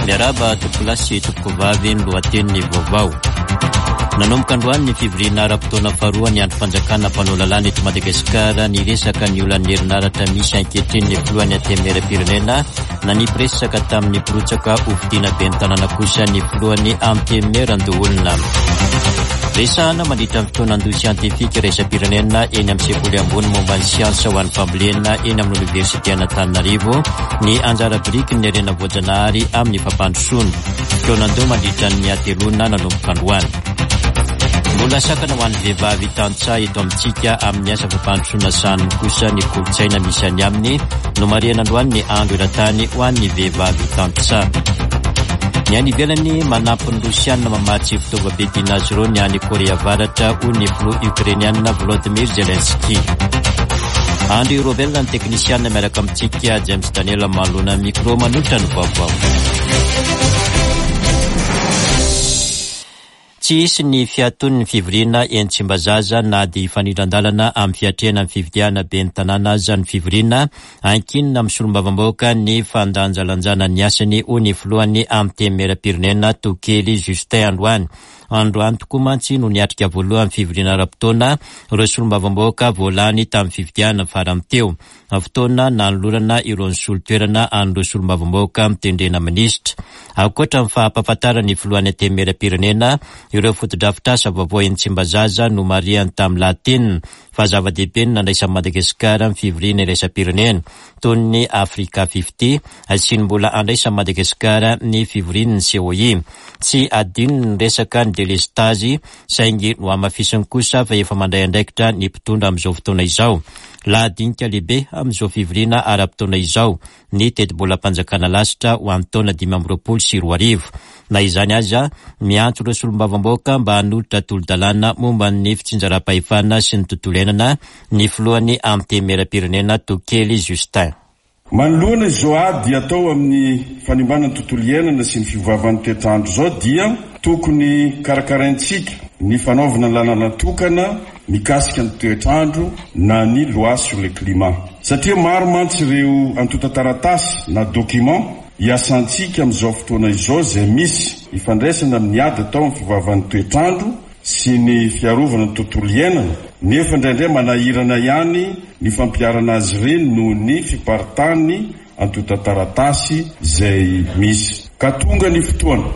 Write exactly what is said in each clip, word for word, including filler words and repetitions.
Miarahaba tompokolahy sy tompokovavy, ny lohatenin'ny vaovao. Nanomboka androany ny fivoriana ara-potoana faharoa ny andrim-panjakana mpanao lalàna eto Madagasikara. Niresaka ny olan'ny herinaratra misy ankehitriny ny filohan'ny Antenimierampirenena. Nanipy resaka tamin'ny mpirotsaka hofidiana ben'ny tanàna kosa ny filohan'ny Antenimierandoholona. Resahana mandritra ny fotoanandoha siantifika iraisam-pirenena eny amin'ny sekoly ambony momba ny siansa ho an'ny fambolena eny amin'ny oniversiten'Antananarivo ny anjara birikin'ny harena voajanahary amin'ny fampandrosoana. Fotoanandoha mandritra ny hateloana nanomboka androany. Mbola sakana ho an'ny vehivavy tantsaha eto amintsika amin'ny asa fampandrosoana sahaniny kosa ny kolontsaina misy any aminy. Nomarihana androany ny andro eran-tany ho an'ny vehivavy tantsaha. Ny any ivelany, manampy ny Rosiana mamatsy fitaovam-piadiana azy ireo ny any Korea Avaratra, hoy ny filoha Ukrainiana Volodymyr Zelensky. Andry Robel ny teknisiana miaraka amintsika, James Daniel manoloana micro manolotra ny vaovao. Tsy hisy ny fiaton'ny fivoriana eny Tsimbazaza na dia hifanindran-dalana amin'ny fiatrehana ny fifidianana ben'ny tanàna aza ny fivoriana. Ankinina amin'ny solombavambahoaka ny fandanjalanjana ny asany, hoy ny filohan'ny Antenimierampirenena Tokely Justin androany. Androany tokoa mantsy no niatrika voalohany fivoriana ara-potoana ireo solombavambahoaka voalany tamin'ny fifidianana farany teo. Fotoana nanolorana ireo nisolo toerana an'ireo solombavambahoaka mitendrena minisitra. Ankoatra ny fampahafantaran'ny filohan'ny Antenimierampirenena ireo fotodrafitrasa vaovao eny Tsimbazaza, nomarihany tamin'ny lahateniny fa zava-dehibe ny nandraisan'i Madagasikara ny fivoriana iraisam-pirenena toy ny Africa Fifty sy ny mbola andraisan'i Madagasikara ny fivorian'ny C O I. Tsy adino ny resaka ny delestazy, saingy nohamafisiny kosa fa efa mandray andraikitra ny mpitondra amin'izao fotoana izao. Lahadinika lehibe amin'izao fivoriana ara-potoana izao ny tetibolam-panjakana lasitra ho an'ny taona dimy amby roapolo sy roa arivo. Na izany aza, miantso ireo solombavambahoaka mba hanolotra tolo-dalàna momba ny fitsinjaram-pahefana sy ny tontolo iainana ny filohan'ny Antenimierampirenena Tokely Justin. Manoloana izao ady atao amin'ny fanimbana ny tontolo iainana sy ny fiovaovan'ny toetrandro zao, dia tokony karakaraintsika ny fanaovana lalàna tokana mikasika ny toetrandro na ny loi sur le climat, satria maro mantsy ireo antontan-taratasy na document iasantsika amin'izao fotoana izao zay misy ifandraisana amin'ny ady atao amin'ny fiovaovan'ny toetrandro sy ny fiarovana ny tontolo iainana, nefa indraindray manahirana ihany ny fampiharana azy ireny noho ny fiparitahany antontan-taratasy zay misy. Ka tonga ny fotoana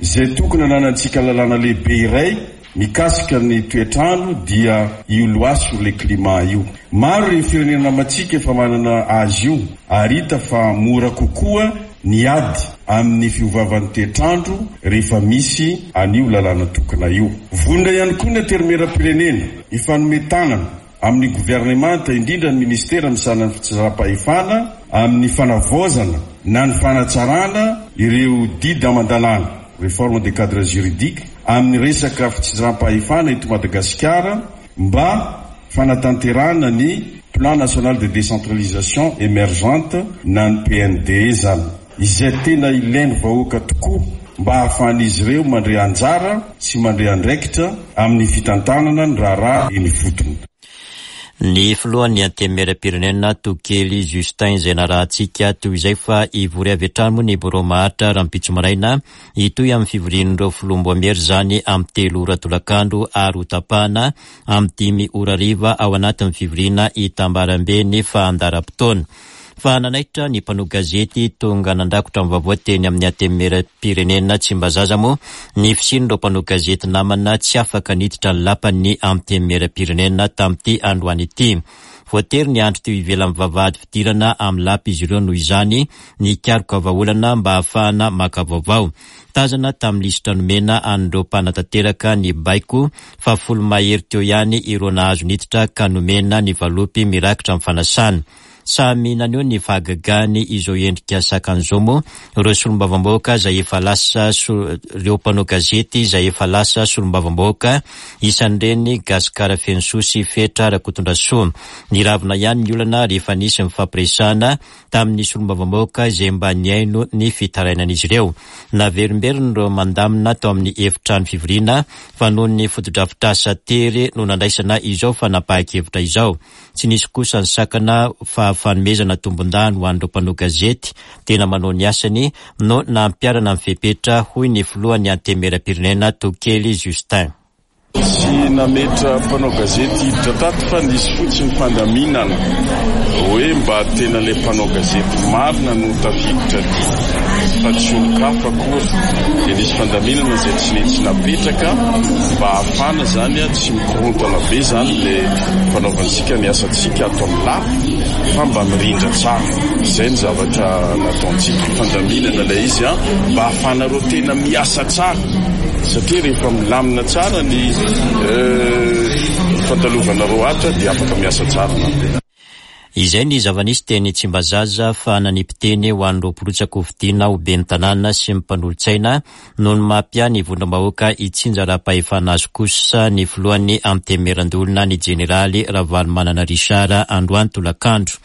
izay tokony ananantsika lalàna lehibe iray mikasika ny toetrandro, dia io loi sur le climat io. Maro ny firenena namantsika efa manana azy io, ary hita fa mora kokoa ny ady amin'ny fiovaovan'ny toetrandro rehefa misy an'io lalàna tokana io. Vonona ihany koa ny Antenimieram-pirenena hifanome tanana amin'ny governemanta, indrindra ny ministera misahana ny fitsinjaram-pahefana, amin'ny fanavaozana na ny fanatsarana ireo didy aman-dalàna, réforme des cadres juridiques, amin'ny resaka fitsinjaram-pahefana eto Madagasikara mba fanatanterahana ny Plan national de décentralisation émergente na ny P N D E zany, izay tena ilainy vahoaka tokoa mba hahafahan'izy ireo mandray anjara sy mandray andraikitra amin'ny fitantanana ny raharaha eny ifotony. Ny filohan'ny Antenimieram-pirenena Tokely Justin izay narahantsika toy izay, fa hivory avy hatrany moa ny birao maharitra rahampitso maraina, hitohy amin'ny fivorian'ireo filoham-baomiera izany amin'ny telo ora tolakandro ary ho tapahana amin'ny dimy ora hariva ao anatin'ny fivoriana hitambarambe ny fandaharam-potoana. Fa nanaitra ny mpanao gazety tonga nandrakotra ny vaovao teny amin'ny Antenimieram-pirenena Tsimbazaza moa ny fisian'ireo mpanao gazety namana tsy afaka niditra ny lapan'ny Antenimieram-pirenena tamin'ity androany ity. Voatery niandry teo ivelan'ny vavahady fidirana amin'ny lapa izy ireo noho izany nikaroka vahaolana mba hahafahana maka vaovao. Tazana tamin'ny lisitra nomena an'ireo mpanatanteraka ny baiko fa folo mahery teo ihany ireo nahazo niditra ka nomena ny valopy mirakitra amin'ny fanasana. Samy naneho ny fahagagany izao endrika sakan'izao moa ireo solombavambahoaka zay efa lasa, ireo mpanao gazety zay efa lasa solombavambahoaka, isan'ireny Gasikara Fenosoa sy Fetra Rakotondrasoa. Niravina ihany ny olana rehefa nisy mifampiresahana tamin'ny solombavambahoaka izay mba nihaino ny fitarainan'izy ireo. Naverimberiny ireo mandamina tao amin'ny efitrano fivoriana fa noho ny fotodrafitrasa tery no nandraisana izao fanapahan-kevitra izao. Tsy nisy kosa ny sakana fa fanomezana tombon-dany ho an'ireo mpanao gazety tena manao ny asany no nampiharana ny fepetra, hoy ny filohan'ny Antenimierampirenena Tokely Justin. Tsy nametra mpanao gazety hiditra tato fa nisy fotsiny fandaminana hoe mba tena ilay mpanao gazety marina no tafiditra aty fa tsy olon-kafa akory. Dia nisy fandaminana izay tsy nety napetraka mba hahafahana zany tsy mikorontana be zany ilay fanaovantsika ny asantsika ato amin'ny lapa fa mba mirindra tsara. Izay ny zavatra nataontsika, fandaminana ilay izy mba hahafahanareo tena miasa tsara, satria rehefa milamina tsara ny fandalovanareo ato dia afaka miasa tsara. Izay ny zava-nisy teny Tsimbazaza fa nanipy teny ho an'ireo mpirotsaka hofidiana ho ben'ny tanàna sy ny mpanolotsaina noho ny mampia ny vondrom-bahoaka itsinjaram-pahefana azy kosa ny filohan'ny Antenimierandoholona ny jeneraly Ravalomanana Richard androany tolakandro.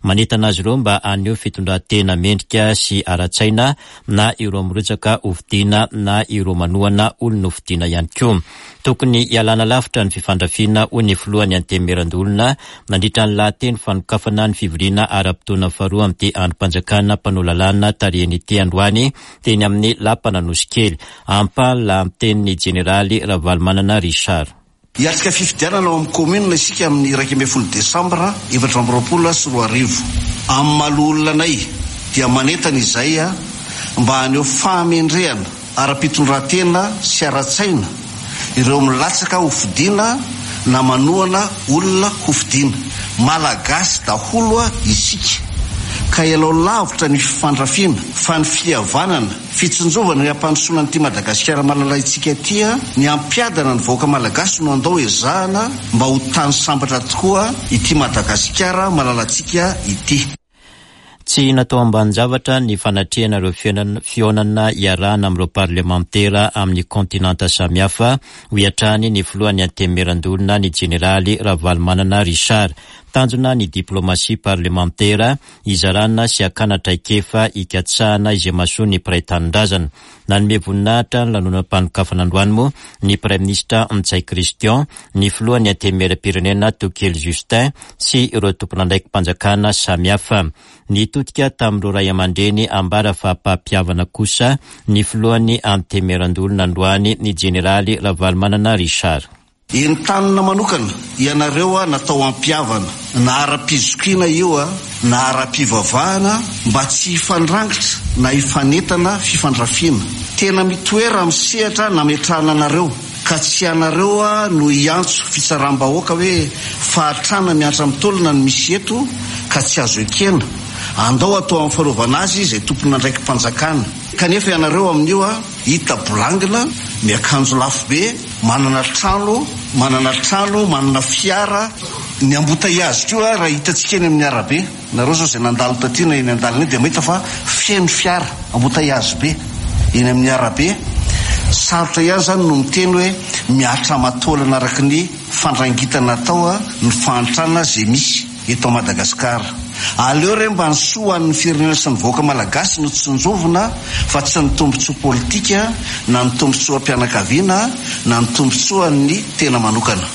Manentana azy ireo mba haneho fitondran-tena mendrika sy ara-tsaina na ireo mirotsaka hofidiana na ireo manohana olona hofidiana ihany koa. Tokony hialana lavitra ny fifandrafiana, hoy ny filohan'ny Antenimierandoholona nandritra ny lahateny fanokafana ny fivoriana ara-potoana faharoa amin'ity andrim-panjakana mpanao lalàna tarihiny ity androany teny amin'ny Lapan'Anosikely. Ampahany lahatenin'ny jeneraly Ravalomanana Richard. Hiatrika fifidianana ao amin'ny commune isika amin'ny iraika ambin'ny folo desambra efatra amby roapolo sy roa arivo. Amin'ny maha loholona anay dia manentana izay mba haneho fahamendrehana ara-pitondran-tena sy ara-tsaina ireo milatsaka hofidiana na manohana olona hofidiana. Malagasy daholo isika ka ialao lavitra ny fifandrafiana fa ny fihavanana, fitsinjovana ny hampandrosoana an'ity Madagasikara malalaintsika ity, ny hampiadana ny vahoaka malagasy no andao ezahana mba ho tany sambatra tokoa ity Madagasikara malalantsika ity. Tsy natao ambanin-javatra ny fanatrehana ireo fihaonana iarahana amin'ireo parlemantera amin'ny kontinanta samihafa, hoy hatrany ny filohan'ny Antenimierandoholona ny jeneraly Ravalomanana Richard. Tanjona ny diplomasia parlemantera izarana sy hakana traikefa hikatsahana izay mahasoa ny mpiray tanindrazana. Nanome voninahitra ny lanonam-panokafana androany moa ny praiminisitra Ntsay Christian, ny filohan'ny Antenimierampirenena Tokely Justin sy ireo tompon'andraiki-panjakana samihafa. Nitodika tamin'ireo ray aman-dreny ambara fa mpampihavana kosa ny filohan'ny Antenimierandoholona androany ny jeneraly Ravalomanana Richard. Entanina manokana ianareo natao hampihavana na ara-pizokiana io na ara-pivavahana mba tsy hifandrangitra na hifanentana fifandrafiana. Tena mitoera amin'ny sehatra nametrahana anareo ka tsy ianareo no hiantso fitsaram-bahoaka hoe fahatrana miantra mitolona no misy eto ka tsy azo ekena. Andao atao amin'ny fanaovana azy izay tompon'andraiki-panjakana. Kanefa ianareo amin'io hita bolangina, miakanjo lafo be, manana trano, manana trano, manana fiara. Ny ambotaiazy koa raha hitantsika eny amin'ny arabe, nareo zao izay nandalo taty na eny an-dalana eny dia mahita fa feno fiara, ambotaiazy be eny amin'ny arabe. Sarotra ihany zany no miteny hoe miatra aman-taolana araka ny fandrangitana atao ny fahantrana izay misy eto Madagasikara. Aleo re mba ny soa an'ny firenena sy ny vahoaka malagasy no tsinjovina fa tsy ny tombontsoa politika na ny tombontsoam-pianakaviana na ny tombontsoan'ny tena manokana.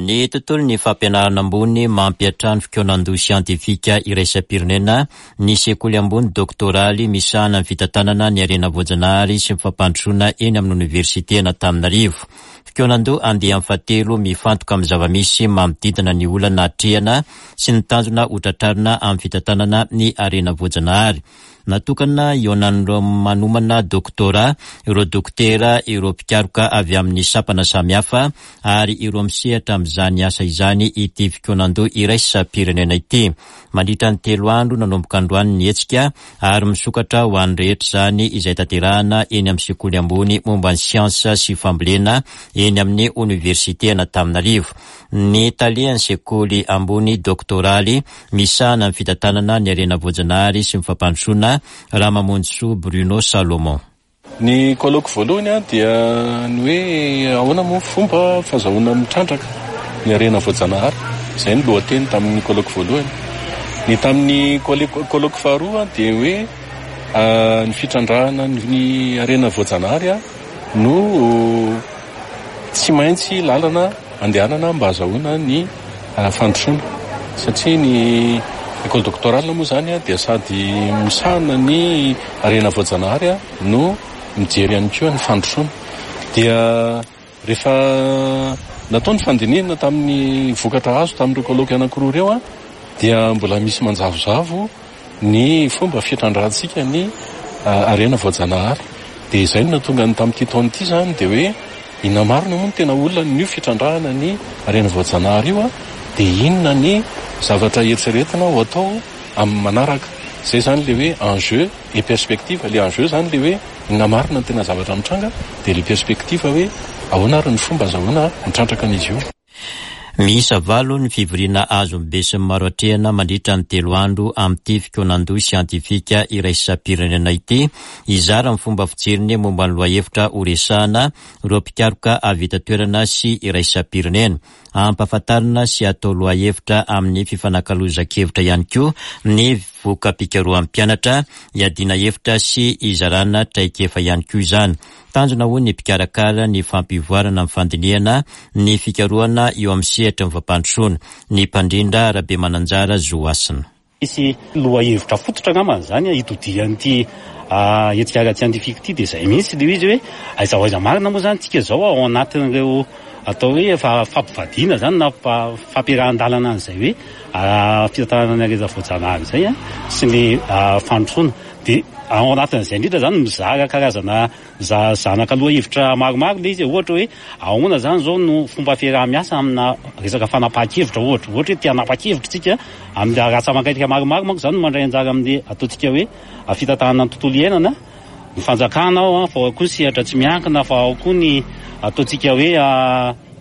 Ny tontolon'ny fampianarana ambony mampiantrano fikaonandoha siantifika iraisam-pirenena ny sekoly ambony doktoraly misahana ny fitantanana ny harena voajanahary sy ny fampandrosoana eny amin'ny oniversite Antananarivo. Fikaonandoha andiany fahatelo mifantoka amin'ny zava-misy manodidina ny olana atrehana sy ny tanjona ho tratrarina amin'ny fitantanana ny harena voajanahary. Natokana hihaonan'ireo manomana doktora, ireo dokotera, ireo mpikaroka avy amin'ny sampana samihafa ary ireo misehatra amin'izany asa izany ity fikaonandoha iraisam-pirenena ity. Mandritra ny telo andro nanomboka androany ny hetsika ary misokatra ho an'ny rehetra izany izay tanterahana eny amin'ny sekoly ambony momba ny siansa sy fambolena eny amin'ny oniversite Antananarivo. Ny talehan'ny sekoly ambony doktoraly misahana ny fitantanana ny harena voajanahary sy ny fampandrosoana Ramamonjisoa Bruno Salomon. Ny colloque voalohany dia ny hoe ahoana moa fomba fahazahoana mitrandraka ny harena voajanahary. Izay ny lohateny tamin'ny colloque voalohany. Ny tamin'ny colloque faharoa dia hoe ny fitrandrahana ny harena voajanahary no Tsy maintsy lalana andehanana mba ahazoana ny fandrosoana, satria ny école doctorale moa zany dia sady misahana ny harena voajanahary no mijery ihany koa ny fandrosoana. Dia rehefa natao ny fandinihana tamin'ny vokatra azo tamin'ireo colloque anankiroa ireo a dia mbola misy manjavozavo ny fomba fitrandrahantsika ny harena voajanahary. Dia izay no nahatonga ny tamin'ity taona ity zany dia hoe inona marina moa no tena olona ny fitrandrahana ny harena voajanahary io a dia inona ny zavatra eritreretina ho atao amin'ny manaraka. Izay zany le hoe enjeu et perspective. Le enjeu zany le hoe inona marina ny tena zavatra mitranga, dia le perspective hoe ahoana ary ny fomba azahoana mitrandraka an'izy io. Miisa valo ny fivoriana azon'ny besinimaro atrehina mandritra ny telo andro amin'ity fikaonandoha siantifika iraisam-pirenena ity. Hizara ny fomba fijeriny momba ny lohahevitra horesahana ireo mpikaroka avy eto an-toerana sy iraisam-pirenena. Ampahafantarina sy atao lohahevitra amin'ny fifanakalozan-kevitra ihany koa ny voka-pikarohan'ny mpianatra, hiadiana hevitra sy hizarana traikefa ihany koa izany. Tanjona ho ny mpikarakara ny fampivoarana ny fandinihana ny fikarohana eo amin'ny sehatry ny fampandrosoana. Ny mpandrindra Rabemananjara Zohasina. Misy lohahevitra fototra angambany zany hitodian'ity hetsika ara-tsiantifika ity, dia izay mihitsy ilay izy hoe aiza ho aiza marina moa zany tsika zao ao anatin'ireo atao hoe fampivadiana zany na fampiarahan-dalana an'izay hoe fitantanana ny harena voajanahary izay sy ny fandrosoana. Dia ao anatin'izay indrindra zany mizara karazana zanaka lohahevitra maromaro ilay izy, ohatra hoe ahoana zany zao no fomba fiaraha-miasa amina resaka fanapahan-kevitra, ohatra ohatra hoe te hanapa-kevitra tsika amin'ny ratsa-mangaika maromaro manko zany no mandray anjara amin'ny ataontsika hoe fitantanana ny tontolo iainana, ny fanjakana ao, fa ao koa ny sehatra tsy miankina, fa ao koa ny ataontsika hoe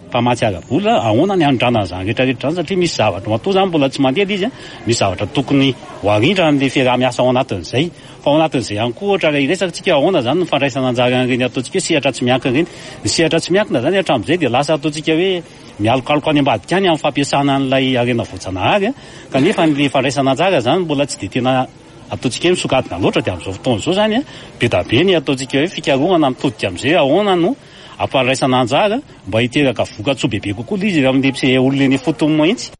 mpamatsy ara-bola. Ahoana ny anondranana izany rehetrarehetra izany, satria misy zavatra matoa zany mbola tsy mandeha izy, misy zavatra tokony ho arindra amin'ilay fiaraha-miasa ao anatin'izay. Fa ao anatin'izay ihany koa ohatra raha hiresaka tsika ahoana zany ny fandraisana anjara an'ireny ataontsika hoe sehatra tsy miankina ireny. Ny sehatra tsy miankina zany hatramin'izay dia lasa ataontsika hoe mialokaloka any ambadika any amin'ny fampiasana an'ilay harena voajanahary, kanefa ny fandraisana anjara zany mbola tsy dia tena ataontsika hoe misokadina loatra. Dia amin'izao fotoana izao zany be dia be ny ataontsika hoe fikarohana mitodika amin'izay ahoana no ampandraisana anjara mba hiteraka vokatsoa bebe kokoa ilay izy amin'ny olona eny ifotony mihitsy.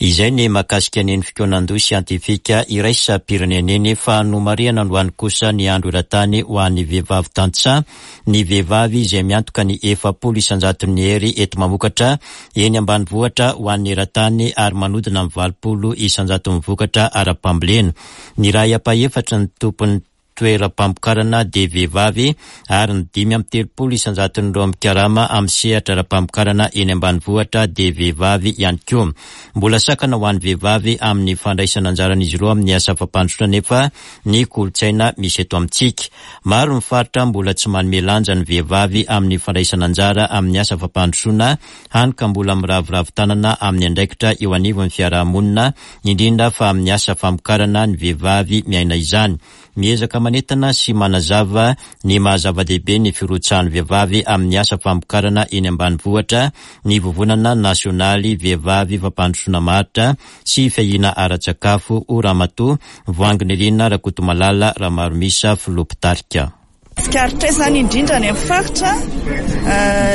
Izay ny mahakasika ny fikaonandoha siantifika iraisam-pirenena iny. Fa nomarihana androany kosa ny andro eran-tany ho an'ny vehivavy tantsaha. Ny vehivavy izay miantoka ny efapolo isan-jaton'ny hery eto mamokatra eny ambanivohitra ho an'ny eran-tany ary manodina amin'ny valopolo isan-jaton'ny vokatra ara-pambolena. Ny iray ampahefatry ny tompon'ny toeram-pamokarana dia vehivavy ary ny dimy amby telopolo isan-jaton'ireo mikarama amin'ny sehatra ara-pamokarana eny ambanivohitra dia vehivavy ihany koa. Mbola sakana ho an'ny vehivavy amin'ny fandraisana anjaran'izy ireo amin'ny asa fampandrosoana nefa ny kolontsaina misy eto amintsika. Maro ny faritra mbola tsy manome lanja ny vehivavy amin'ny fandraisana anjara amin'ny asa fampandrosoana, hany ka mbola miraviravy tanana amin'ny andraikitra eo anivon'ny fiarahamonina, indrindra fa amin'ny asa famokarana ny vehivavy miaina izany. Miezaka manentana sy manazava ny mahazava-dehibe ny firotsahan'ny vehivavy amin'ny asa famokarana eny ambanivohitra ny vovonana nasionaly vehivavy fampandrosoana maharitra sy fiahiana ara-tsakafo ho Ramatoa Voahanginirina Rakotomalala Ramaromisa filoha mpitarika. Tsikaritra izany indrindra any amin'ny faritra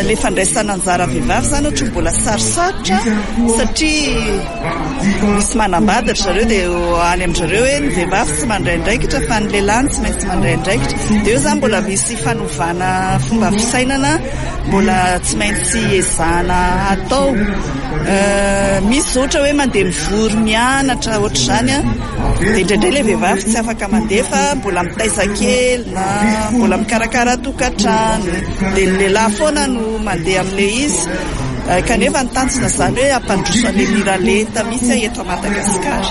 le fandraisana anjara vehivavy izany ohatra mbola sarosarotra satria misy manambady ry zareo dia any amin-dry zareo hoe ny vehivavy tsy mandray andraikitra fa ny lehilahy no tsy maintsy mandray andraikitra. Dia eo izany mbola misy fanovana fomba fisainana mbola tsy maintsy ezahana atao. Misy ohatra hoe mandeha mivory mianatra ohatr'izany dia indraindray ilay vehivavy tsy afaka mandeha fa mbola mitaiza kely na mbola mikarakara tokantrano, dia ny lehilahy foana no mandeha amin'ilay izy. Kanefa ny tanjona izany hoe hampandroso an'ilay miralenta mihitsy eto Madagasikara.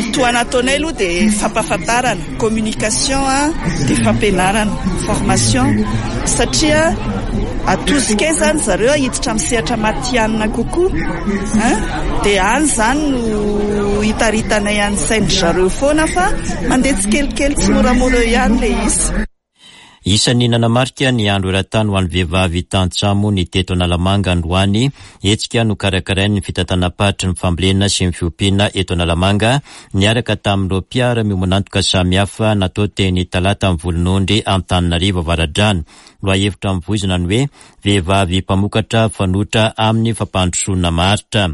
Ny tohana ataonay aloha dia fampahafantarana, communication dia fampianarana, formation, satria atosika izany zareo hiditra amin'ny sehatra matihanina kokoa, dia any izany no hitaritanay any sain-dry zareo foana fa mandeha tsikelikely tsy moramora eo ihany ilay izy. Isan'ny nanamarika ny andro eran-tany ho an'ny vehivavy tantsaha moa ny teto Analamanga androany, hetsika nokarakarain'ny fitantanam-paritry ny fambolena sy ny fiompiana eto Analamanga niaraka tamin'ireo mpiara-miombon'antoka samihafa natao teny Talata amin'ny Volonondry Antananarivo Avaradrano. Lohahevitra mivoizina ny hoe vehivavy mpamokatra fanoitra amin'ny fampandrosoana maharitra.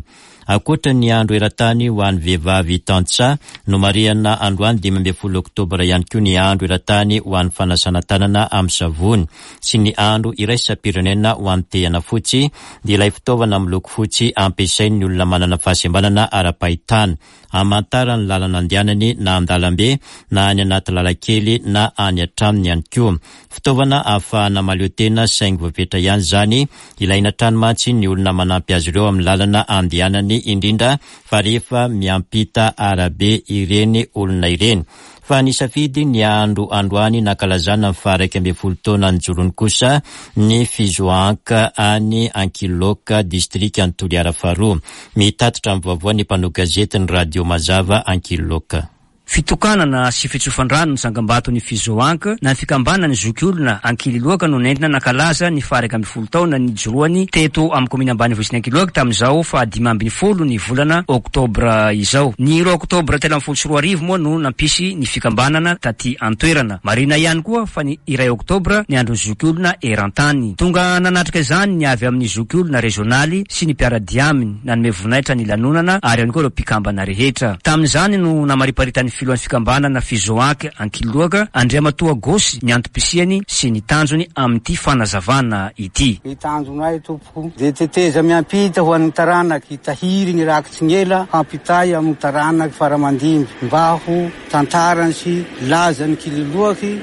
Ankoatra ny andro eran-tany ho an'ny vehivavy tantsaha, nomarihana androany dimy ambin'ny folo oktobra ihany koa ny andro eran-tany ho an'ny fanasana tanana amin'ny savony sy ny andro iraisam-pirenena ho an'ny tehana fotsy, dia ilay fitaovana miloko fotsy ampiasain'ny olona manana fahasembanana ara-pahitana hamantarany lalana andehanany na an-dalambe na any anaty lalakely na any an-tranony ihany koa. Fitaovana ahafahana mahaleo tena saingy voafetra ihany izany, ilaina hatrany mantsy ny olona manampy azy ireo amin'ny lalana andehanany, indrindra fa rehefa miampita arabe ireny olona ireny. Fa nisafidy ny andro androany nankalazana ny faha-iraika ambin'ny folo taona nijoroany kosa ny FIZOANC any Ankiloka, distrikan'i Toliara faharoa. Mitatitra ny vaovao ny mpanao gazety ny Radio Mazava Ankiloka. Fitokanana sy fitsofan-drano ny tsangambaton'ny FIZOANC na ny fikambanan'ny zokiolona Ankililoaka no nentina nankalaza ny faha-iraika ambin'ny folo taona nijoroany teto amin'ny komina ambanivohitry ny Ankiloaka tamin'izao fahadimy ambin'ny folo ny volana oktobra izao. Ny roa oktobra telo ambin'ny folo sy roa arivo moa no nampisy ny fikambanana taty an-toerana. Marina ihany koa fa ny iray oktobra ny andron'ny zokiolona eran-tany. Tonga nanatrika izany ny avy amin'ny zokiolona rezionaly sy ny mpiara-dia aminy, nanome voninahitra ny lanonana ary ihany koa ireo mpikambana rehetra. Tamin'izany no namariparitan'ny filohan'ny fikambanana FIZOANC Ankiloaka, Andriamatoa Gosy, ny antom-pisiany sy ny tanjony amin'ity fanazavana ity. Ny tanjonay tompoko dia teteza miampita ho an'ny taranaky, hitahiry ny rakitsy ny ela hampitay amin'ny taranaky faramandimby mba ho tantarany sy lazany Kililoaky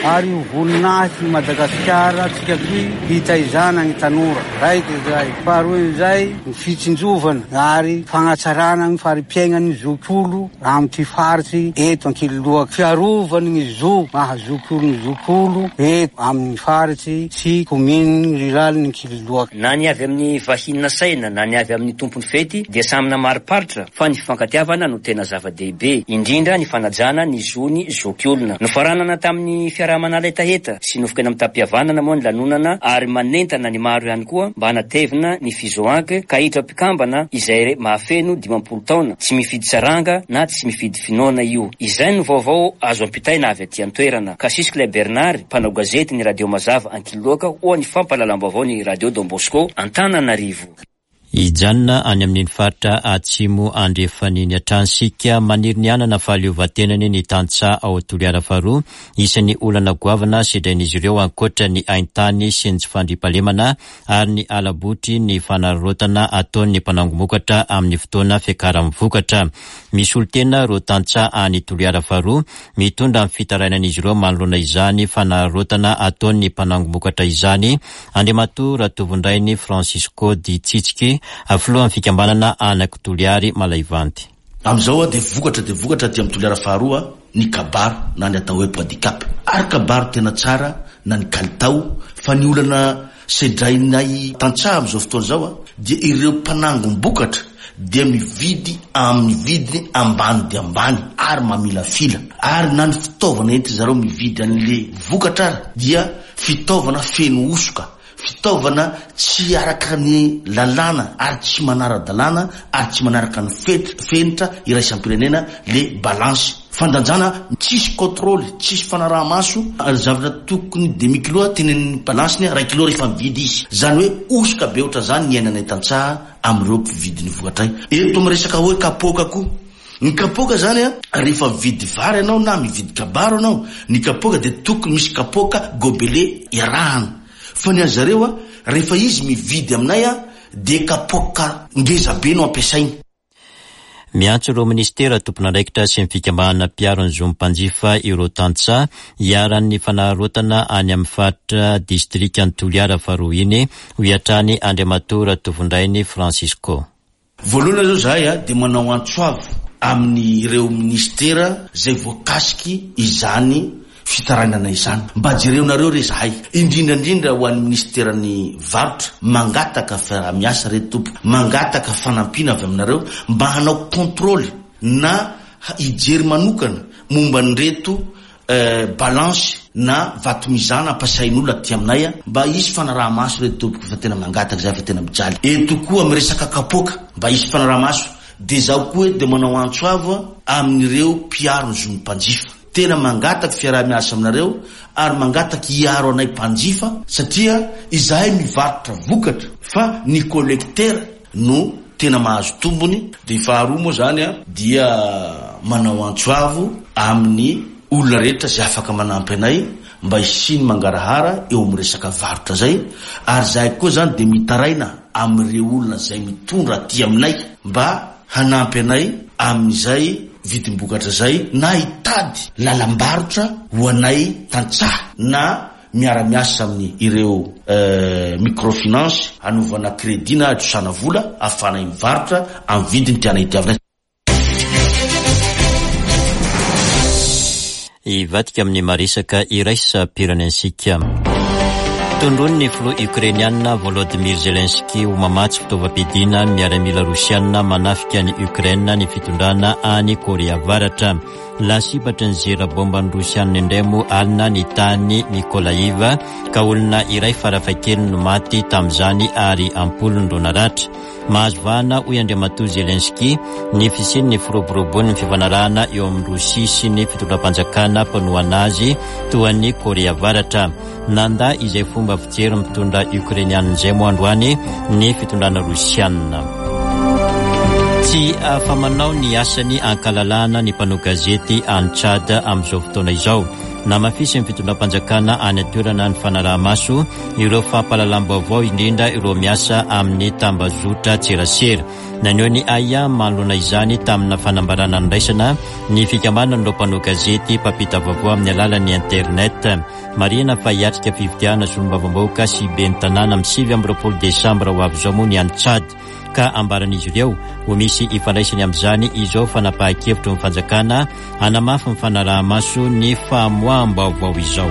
ary ho voninahitry ny Madagasikara tsika toy hitaizana ny tanora. Raiky izay. Faharoa izay ny fitsinjovana ary fagnatsarana ny fari-piainan'ny zokiolo amin'ity faritsy eto Ankililoaka. Fiarovany ny zo maha zokiolo ny zokiolo eto amin'ny faritsy sy kominy riralin'ny Ankililoaka. Na ny avy amin'ny vahiny nasaina na ny avy amin'ny tompon'ny fety dia samy namariparitra fa ny fifankatiavana no tena zava-dehibe, indrindra ny fanajana ny zony zokiolona. Nofaranana tamin'ny fiaraha-manala hetaheta sy nofokena mitam-pihavanana moa ny lanonana ary manentana ny maro ihany koa mba hanatevina ny FIZOANC ka hiditra mpikambana izay mahafeno dimampolo taona, tsy mifidy saranga na tsy mifidy finoana io. Izay no vaovao azo ampitaina avy aty an-toerana. Kasisy Bernard, mpanao gazety ny Radio Mazava Ankiloaka ho an'ny fampahalalam-baovao ny Radio Don Bosco Antananarivo. Hijanona any amin'iny faritra atsimo andrefan'iny hatrany isika. Maniry ny hanana fahaleovantenany ny tantsaha ao Toliara faharoa. Isan'ny olana goavana sedrain'izy ireo ankoatra ny haintany sy ny tsy fandriampahalemana ary ny ala-botry ny fanararaotana ataon'ny mpanangom-bokatra amin'ny fotoana fiakaran'ny vokatra. Misy olon-tena ireo tantsaha any Toliara faharoa mitondra ny fitarainan'izy ireo manoloana izany fanararaotana ataon'ny mpanangom-bokatra izany. Andriamatoa Ratovondrainy Francisco Di Tsitsiky, filohan'ny fikambanana Anaky Toliary Malaivanty. Amin'izao dia vokatra dia vokatra aty amin'ny Toliara faharoa ny kabaro na ny atao hoe pois de cap. Ary kabaro tena tsara na ny kalitao, fa ny olana sedrainay tantsaha amin'izao fotoana izao dia ireo mpanangom-bokatra dia mividy amin'ny vidiny ambany dia ambany ary mamilafila. Ary na ny fitaovana entin zareo mividy an'le vokatra ary dia fitaovana feno hosoka, fitaovana tsy araka ny lalàna ary tsy manara-dalàna ary tsy manaraka ny fenitra iraisam-pirenena le balance. Fandanjana tsisy contrôle, tsisy fanaraha-maso, ary zavatra tokony demi kilo tenen'ny balance ny iray kilo rehefa mividy izy. Zany hoe hosoka be ohatran'izany ny iainanay tantsaha amin'ireo mpividy ny vokatray. Eto miresaka hoe kapoaka koa. Ny kapoaka zany a, rehefa mividy vary ianao na mividy kabaro ianao, ny kapoaka dia tokony misy kapoaka gobelet iarahana. Fa ny azy zareo a, rehefa izy mividy aminay a, dia kapoaka ngeza be no ampiasainy. Miantso ireo ministera tompon'andraikitra sy ny fikambanana mpiaro ny zon'ny mpanjifa ireo tantsaha iharan'ny fanararaotana any amin'ny faritra distrikan'i Toliara faharoa iny, hoy hatrany Andriamatoa Ratovondrainy Francisco. Voalohany aloha zahay a dia manao antso avo amin'ireo ministera izay voakasiky izany fitarainana izany. Mba jereonareo re zahay, indrindra indrindra ho an'ny ministeran'ny varotra, mangataka fiaraha-miasa re tompoko, mangataka fanampiana avy aminareo mba hanao contrôle na hijery manokana momba an'ireto Balance na vatomizana ampiasain'olona aty aminay, mba hisy fanaraha-maso reto tompoko, fa tena mangataka zahay fa tena mijaly. Eto koa amin'ny resaka kapoaka, mba hisy fanaraha-maso. Dia zaho koa eto dia manao antso avo amin'ireo mpiaro ny zon'ny mpanjifa. Tena mangataka fiaraha-miasa aminareo ary mangataka hiaro anay mpanjifa, satria izahay mivarotra vokatra fa ny collecteur no tena mahazo tombony. Dia faharoa moa zany a, dia manao antso avo amin'ny olona rehetra izay afaka manampy anay mba hisian'ny mangarahara eo amin'ny resaka varotra zay. Ary zahay koa zany dia mitaraina amin'ireo olona izay mitondra aty aminay mba hanampy anay amin'izay vidim-bokatra zay, na hitady lalam-barotra ho anay tantsaha, na miara-miasa amin'ny ireo microfinance hanaovana crédit na hatrosana vola ahafahanay mivarotra amin'ny vidiny tianay itiavanay. Hivadika amin'ny maresaka iraisam-pirenentsika. Tondroin'ny filoha ukrainiana Volodymyr Zelensky ho mamatsy fitaovam-piadiana ny miaramila rosiana manafika ny Ukraine ny fitondrana any Korea Avaratra. Lasibatry ny zera bomban'ny rosiana indray moa alina ny tany Mykolaiv, ka olona iray farafahakeliny no maty tamin'izany ary ampolony no naratra. Mahazo vahana, hoy Andriamatoa Zelensky, ny fisian'ny firoborobon'ny fifanarahana eo amin'ny Rosia sy ny fitondram-panjakana mpanohana azy toa ny Korea Avaratra. Nanda izay fomba fijery mitondra ukrainiana izay moa androany ny fitondrana rosiana. Tsy afa-manao ny asany ankalalahana ny mpanao gazety any Tchad amin'izao fotoana izao. Namafisy ny fitondram-panjakana any an-toerana ny fanaraha-maso ireo fampahalalam-baovao, indrindra ireo miasa amin'ny tambazotra tserasera. Naneho ny ahiahy manoloana izany tamina fanambarana niraisana ny fikambanan'ireo mpanao gazety mpampita vaovao amin'ny alalan'ny internet. Marihina fa hiatrika fifidianana solombavambahoaka sy ben'ny tanàna amin'ny sivy amby roapolo desambra ho avy izao moa ny any Tchad, ka ambaran'izy ireo ho misy ifandraisany amin'izany izao fanapahan-kevitry ny fanjakana hanamafy ny fanaraha-maso ny famoaham-baovao izao.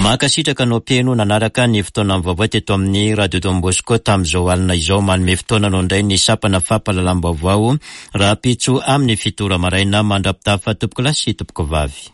Mankasitraka anao mpihaino nanaraka ny fotoana vaovao teto amin'ny Radio Don Bosco tamin'izao alina izao. Manome fotoana anao indray ny sampana fampahalalam-baovao rahampitso amin'ny fito ora maraina. Mandra-pitafa tompoko lahy sy tompoko vavy.